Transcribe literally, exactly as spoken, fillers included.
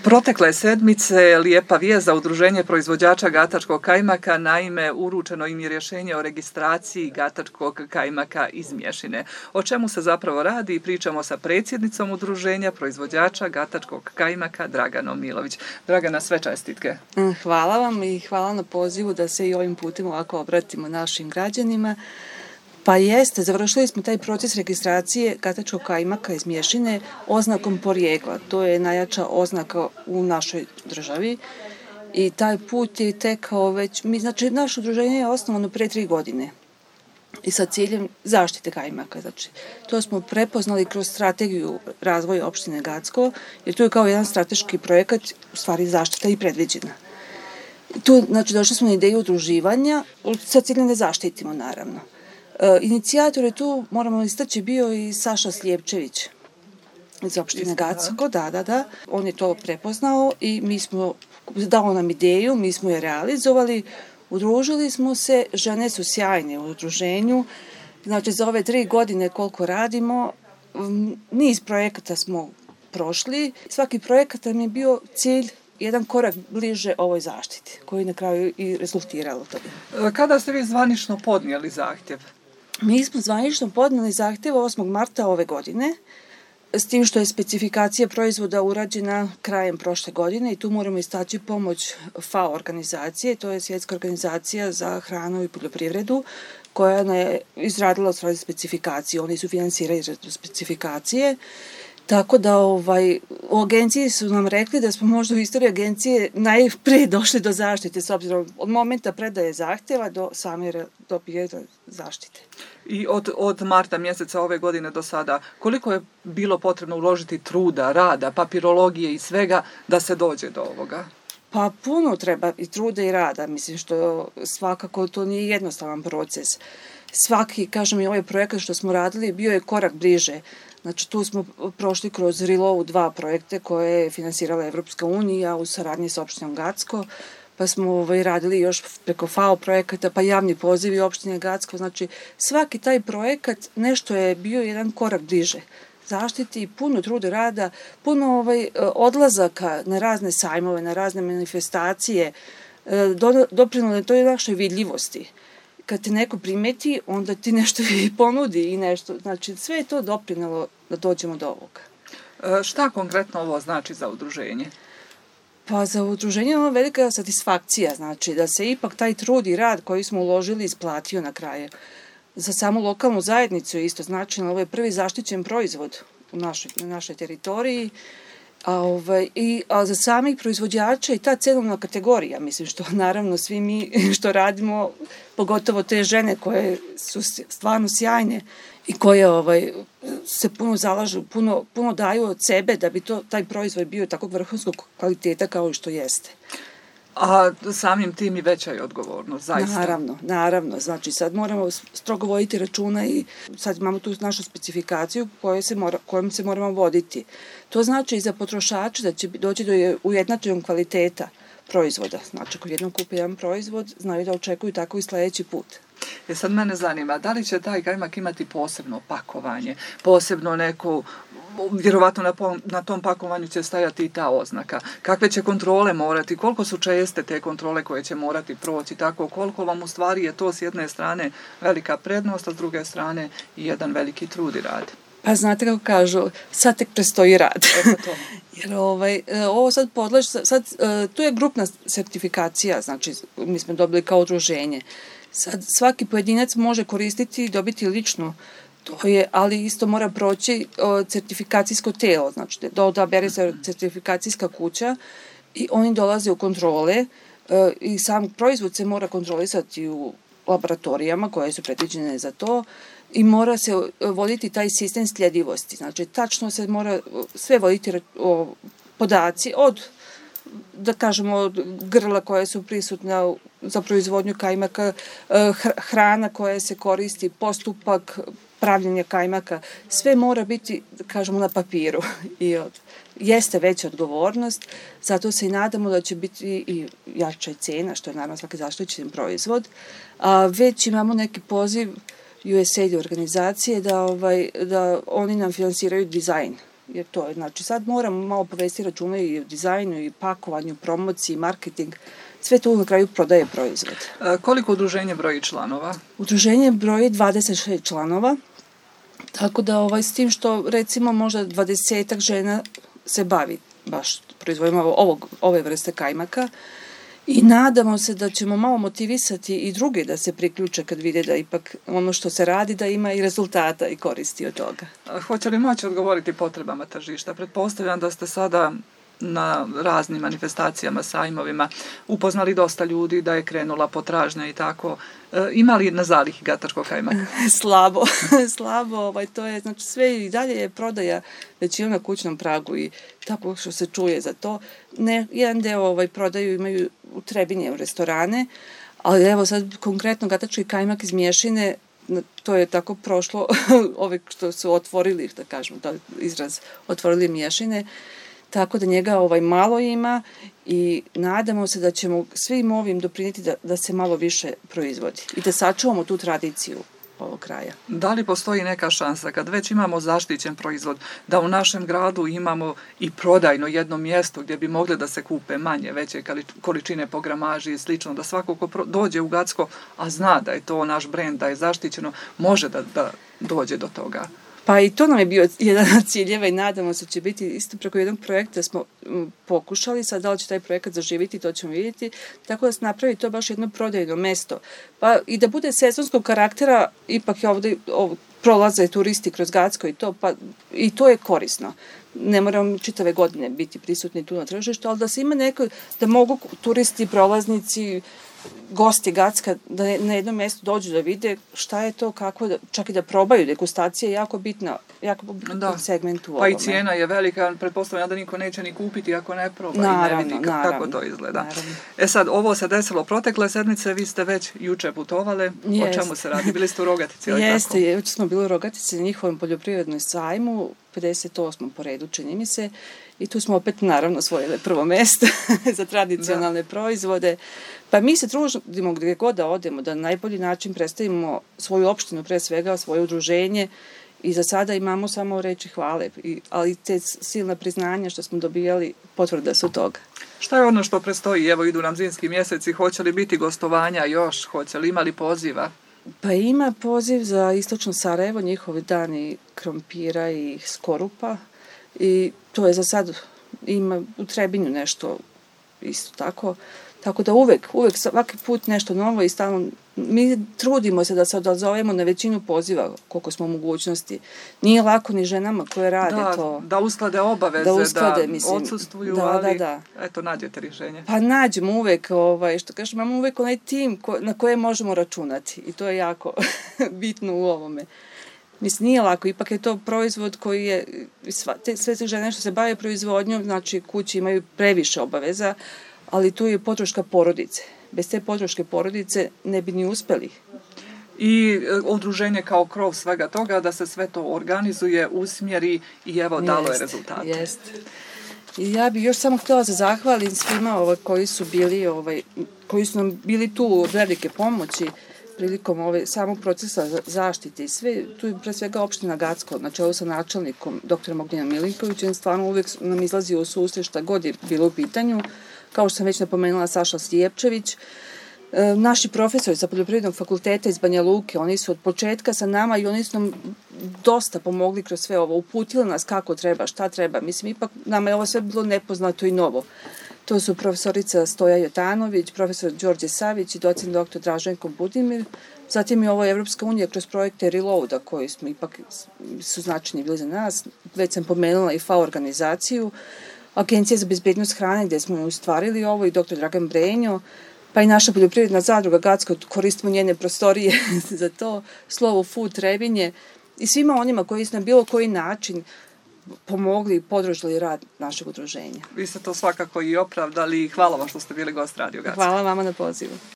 Protekle sedmice lijepa vijest za Udruženje proizvođača gatačkog kajmaka, naime uručeno im je rješenje o registraciji gatačkog kajmaka iz Mješine. O čemu se zapravo radi? Pričamo sa predsjednicom Udruženja proizvođača gatačkog kajmaka Draganom Milović. Dragana, sve čestitke. Hvala vam i hvala na pozivu da se i ovim putem ovako obratimo našim građanima. Pa jeste, završili smo taj proces registracije gatačkog kajmaka iz Mješine oznakom porijekla. To je najjača oznaka u našoj državi i taj put je tekao već, mi, znači naše udruženje je osnovano pre tri godine i sa ciljem zaštite kajmaka. Znači, to smo prepoznali kroz strategiju razvoja opštine Gacko, jer tu je kao jedan strateški projekat, u stvari zaštita i predviđena. Tu, znači, došli smo na ideju udruživanja sa ciljem da zaštitimo, naravno. E, inicijator je tu, moramo istaći, bio i Saša Slijepčević iz opštine Gacko, da, da, da. On je to prepoznao i mi smo, dao nam ideju, mi smo je realizovali, udružili smo se, žene su sjajne u udruženju, znači za ove tri godine koliko radimo, niz projekata smo prošli, svaki projekat nam je bio cilj jedan korak bliže ovoj zaštiti, koji na kraju i rezultiralo toga. Kada ste vi zvanično podnijeli zahtjev? Mi smo zvanično podnijeli zahtjev osmog marta ove godine, s tim što je specifikacija proizvoda urađena krajem prošle godine i tu moramo istaći pomoć FAO organizacije, to je Svjetska organizacija za hranu i poljoprivredu, koja je izradila svoje specifikacije, oni su finansirali specifikacije. Tako da ovaj, u agenciji su nam rekli da smo možda u istoriji agencije najprije došli do zaštite, s obzirom od momenta predaje zahtjeva do same dobije zaštite. I od, od marta mjeseca ove godine do sada, koliko je bilo potrebno uložiti truda, rada, papirologije i svega da se dođe do ovoga? Pa puno treba i truda i rada, mislim što svakako to nije jednostavan proces. Svaki, kažem i ovaj projekat što smo radili, bio je korak bliže. Znači tu smo prošli kroz Rilovu dva projekte koje je finansirala Evropska unija u saradnji sa opštinom Gacko, pa smo ovaj, radili još preko FAO projekata, pa javni pozivi opštine Gacko. Znači svaki taj projekat nešto je bio jedan korak bliže zaštiti, puno truda rada, puno ovaj, odlazaka na razne sajmove, na razne manifestacije, doprinalo toj našoj vidljivosti. Kad te neko primeti, onda ti nešto i ponudi i nešto. Znači, sve je to doprinalo da dođemo do ovoga. E, šta konkretno ovo znači za udruženje? Pa za udruženje je ono velika satisfakcija, znači da se ipak taj trud i rad koji smo uložili isplatio na kraju. Za samu lokalnu zajednicu je isto značajno, ovo je prvi zaštićen proizvod u našoj, na našoj teritoriji, a, ovaj, i, a za samih proizvođača i ta cenovna kategorija, mislim što naravno svi mi što radimo, pogotovo te žene koje su stvarno sjajne i koje ovaj, se puno zalažu, puno, puno daju od sebe da bi to, taj proizvod bio takvog vrhunskog kvaliteta kao što jeste. A samim tim i veća je odgovornost, zaista. Naravno, naravno. Znači sad moramo strogo voditi računa i sad imamo tu našu specifikaciju koje se mora, kojom se moramo voditi. To znači i za potrošače da će doći do ujednačenog kvaliteta proizvoda. Znači ako jednom kupe jedan proizvod, znaju da očekuju tako i sljedeći put. E sad mene zanima, da li će taj kajmak imati posebno pakovanje, posebno neko, vjerovatno na, na tom pakovanju će stajati i ta oznaka. Kakve će kontrole morati, koliko su česte te kontrole koje će morati proći, tako koliko vam u stvari je to s jedne strane velika prednost, a s druge strane i jedan veliki trud i rad. Pa znate kako kažu, sad tek prestoji rad. To. Jer ovaj, ovo sad podlaži, sad, tu je grupna sertifikacija, znači mi smo dobili kao udruženje. Sad svaki pojedinac može koristiti i dobiti lično, to je, ali isto mora proći o, certifikacijsko telo, znači da odabere se certifikacijska kuća i oni dolaze u kontrole e, i sam proizvod se mora kontrolisati u laboratorijama koje su predviđene za to i mora se voditi taj sistem sljedivosti, znači tačno se mora sve voditi o, podaci od da kažemo grla koje su prisutna za proizvodnju kajmaka, hrana koja se koristi, postupak pravljenja kajmaka, sve mora biti, da kažemo, na papiru. I od, jeste veća odgovornost, zato se i nadamo da će biti i jača cena, što je naravno svaki zaštićen proizvod. A već imamo neki poziv U S A I D organizacije da, ovaj, da oni nam finansiraju dizajn jer to je, znači sad moramo malo povesti računa i o dizajnu, i pakovanju, promociji, marketing, sve to na kraju prodaje proizvod. E, koliko udruženje broji članova? Udruženje broji dvadeset šest članova, tako da ovaj, s tim što recimo možda dvadesetak žena se bavi baš proizvodima ovog, ove vrste kajmaka i nadamo se da ćemo malo motivisati i druge da se priključe kad vide da ipak ono što se radi da ima i rezultata i koristi od toga. A hoće li moći odgovoriti potrebama tržišta? Pretpostavljam da ste sada na raznim manifestacijama, sajmovima upoznali dosta ljudi, da je krenula potražnja i tako. E, ima li na zalihi gatačkog kajmaka? Slabo, slabo, ovaj, to je, znači sve i dalje je prodaja većinom na kućnom pragu i tako što se čuje za to. Ne, jedan deo ovaj, prodaju imaju u Trebinje, u restorane, ali evo sad konkretno gatački kajmak iz Mješine, to je tako prošlo, ove što su otvorili, da kažemo, da izraz, otvorili Mješine, tako da njega ovaj malo ima i nadamo se da ćemo svim ovim doprinijeti da, da se malo više proizvodi i da sačuvamo tu tradiciju ovog kraja. Da li postoji neka šansa kad već imamo zaštićen proizvod da u našem gradu imamo i prodajno jedno mjesto gdje bi mogli da se kupe manje, veće količine po gramaži i slično, da svako ko dođe u Gacko, a zna da je to naš brend, da je zaštićeno, može da, da dođe do toga? Pa i to nam je bio jedan od ciljeva i nadamo se će biti isto preko jednog projekta smo pokušali, sad da li će taj projekat zaživiti, to ćemo vidjeti, tako da se napravi to baš jedno prodajno mesto. Pa i da bude sezonskog karaktera, ipak je ovdje ovo, prolaze turisti kroz Gacko i to, pa i to je korisno. Ne moramo čitave godine biti prisutni tu na tržištu, ali da se ima neko, da mogu turisti, prolaznici, gosti Gacka da na jednom mjestu dođu da vide šta je to, kako da, čak i da probaju. Degustacija je jako bitna, jako bitan segment u ovome. Pa i cijena je velika, pretpostavljam da niko neće ni kupiti ako ne proba naravno, i ne vidi kako naravno, to izgleda. Naravno. E sad, ovo se desilo protekle sedmice, vi ste već juče putovali, Jest. O čemu se radi? Bili ste u Rogatici? Jeste, juče smo bili u Rogatici na njihovom poljoprivrednoj sajmu, pedeset osmom po redu, čini mi se, i tu smo opet naravno osvojili prvo mjesto za tradicionalne da. proizvode. Pa mi se trudimo gdje god da odemo, da na najbolji način predstavimo svoju opštinu, pre svega svoje udruženje i za sada imamo samo reči hvale, ali te silna priznanja što smo dobijali potvrda su toga. Šta je ono što predstoji? Evo idu nam zimski mjeseci, hoće li biti gostovanja još, hoće li imali poziva? Pa ima poziv za istočno Sarajevo, njihovi dani krompira i skorupa i to je za sad, ima u Trebinju nešto isto tako, tako da uvek, uvek svaki put nešto novo i stalno, mi trudimo se da se odazovemo na većinu poziva koliko smo u mogućnosti. Nije lako ni ženama koje rade da, to. Da usklade obaveze, da, usklade, da mislim, odsustvuju, da, ali da, da. Eto, nađete rješenje. Pa nađemo uvek, ovaj, što kažem, imamo uvek onaj tim ko, na koje možemo računati i to je jako bitno u ovome. Mislim, nije lako, ipak je to proizvod koji je, sva, te, sve te žene što se bave proizvodnjom, znači kući imaju previše obaveza, ali tu je podrška porodice. Bez te podrške porodice ne bi ni uspeli. I udruženje kao krov svega toga, da se sve to organizuje, usmjeri i evo dalo je rezultate. Jeste. I ja bih još samo htjela da zahvalim svima ovaj, koji su bili, ovaj, koji su nam bili tu od velike pomoći prilikom ove, samog procesa zaštite i sve, tu je pre svega opština Gacko, na čelu sa načelnikom doktorom Ognjenom Milinkovićem, stvarno uvijek nam izlazi u susret šta god je bilo u pitanju, kao što sam već napomenula Saša Slijepčević. E, naši profesori sa Poljoprivrednog fakulteta iz Banja Luke, oni su od početka sa nama i oni su nam dosta pomogli kroz sve ovo, uputili nas kako treba, šta treba, mislim, ipak nama je ovo sve bilo nepoznato i novo. To su profesorica Stoja Jotanović, profesor Đorđe Savić i docent doktor Draženko Budimir. Zatim je ovo Evropska unija kroz projekte Reloada koji smo ipak su značajni bili za nas. Već sam pomenula i F A O organizaciju, Agencija za bezbednost hrane gdje smo ustvarili ovo i doktor Dragan Brenjo, pa i naša poljoprivredna zadruga Gacko, koristimo njene prostorije za to, Slovo Food Trebinje i svima onima koji su na bilo koji način pomogli i podržali rad našeg udruženja. Vi ste to svakako i opravdali i hvala vam što ste bili gost Radio Gacka. Hvala vama na pozivu.